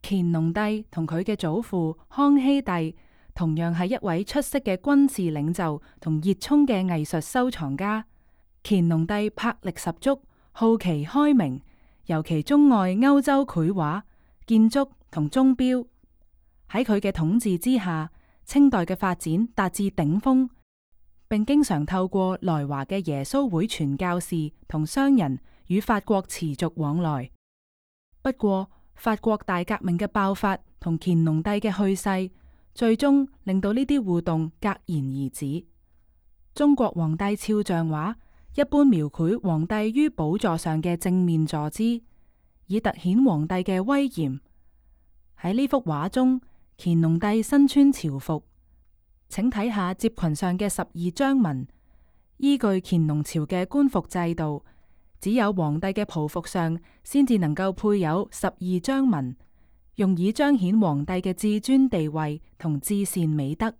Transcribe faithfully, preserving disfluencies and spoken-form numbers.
乾隆帝同佢嘅祖父康熙帝同樣係一位出色嘅軍事領袖同熱衷嘅藝術收藏家。乾隆帝魄力十足，好奇開明，尤其鍾愛歐洲繪畫、建築同鐘錶。喺佢嘅統治之下，清代嘅發展達至頂峰，並經常透過來華嘅耶穌會傳教士同商人與法國持續往來。不過，法國大革命嘅爆發同乾隆帝嘅去世，最終令到呢啲互動戛然而止。中國皇帝肖像畫一般描繪皇帝於寶座上嘅正面坐姿，以凸顯皇帝嘅威嚴。喺呢幅畫中，乾隆帝身穿朝服，請睇下摺裙上嘅十二章紋。依據乾隆朝嘅官服制度，只有皇帝嘅袍服上先至能夠配有十二章紋，用以彰顯皇帝嘅至尊地位同至善美德。